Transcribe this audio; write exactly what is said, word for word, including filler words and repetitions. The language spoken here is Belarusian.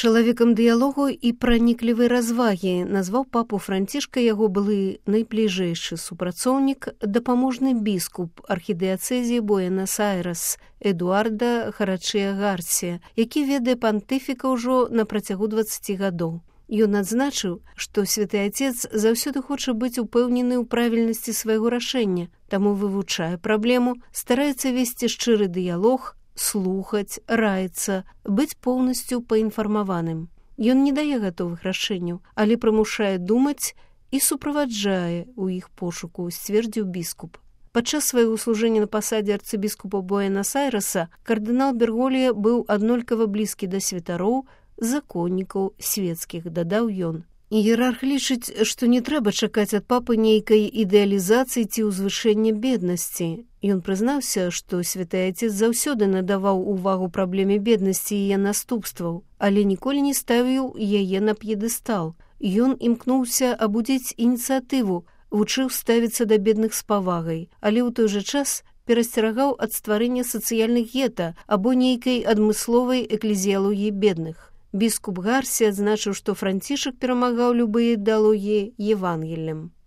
Чалавекам дыялогу і праніклівай развагі назваў папу Францішка яго былы найбліжэйшы супрацоўнік, дапаможны біскуп архідыяцэзіі Буэнас-Айрэс Эдуарда Харачыя Гарсія, які ведае пантыфіка ўжо на працягу дваццаці гадоў. Ён адзначыў, што святы Ацец заўсёды хоча быць упэўнены ў правільнасці свайго рашэння, таму вывучае праблему, стараецца весці шчыры дыялог, слухаць, раіцца, быць поўнасцю паінфармаваным. Ён не дае гатовых рашэнняў, але прымушае думаць і суправаджае ў іх пошуку, сцвердзіў біскуп. Падчас свайго служэння на пасадзе арцыбіскупа Буэнас-Айрэса кардынал Берголія быў аднолькава блізкі да святароў, законнікаў светскіх, дадаў ён. Іерарх лічыць, што не трэба чакаць ад папы нейкай ідэалізацыі ці ўзвышэння беднасці. Ён прызнаўся, што святы Ацец заўсёды надаваў увагу праблеме беднасці і яе наступстваў, але ніколі не ставіў яе на п'едэстал. Ён імкнуўся абудзіць ініцыятыву, вучыў ставіцца да бедных з павагай, але ў той жа час перасцерагаў ад стварэння сацыяльных гета або нейкай адмысловай эклезіялогіі бедных. Біскуп Гарсія адзначыў, што Францішак перамагаў любыя ідэалогіі Евангеллем.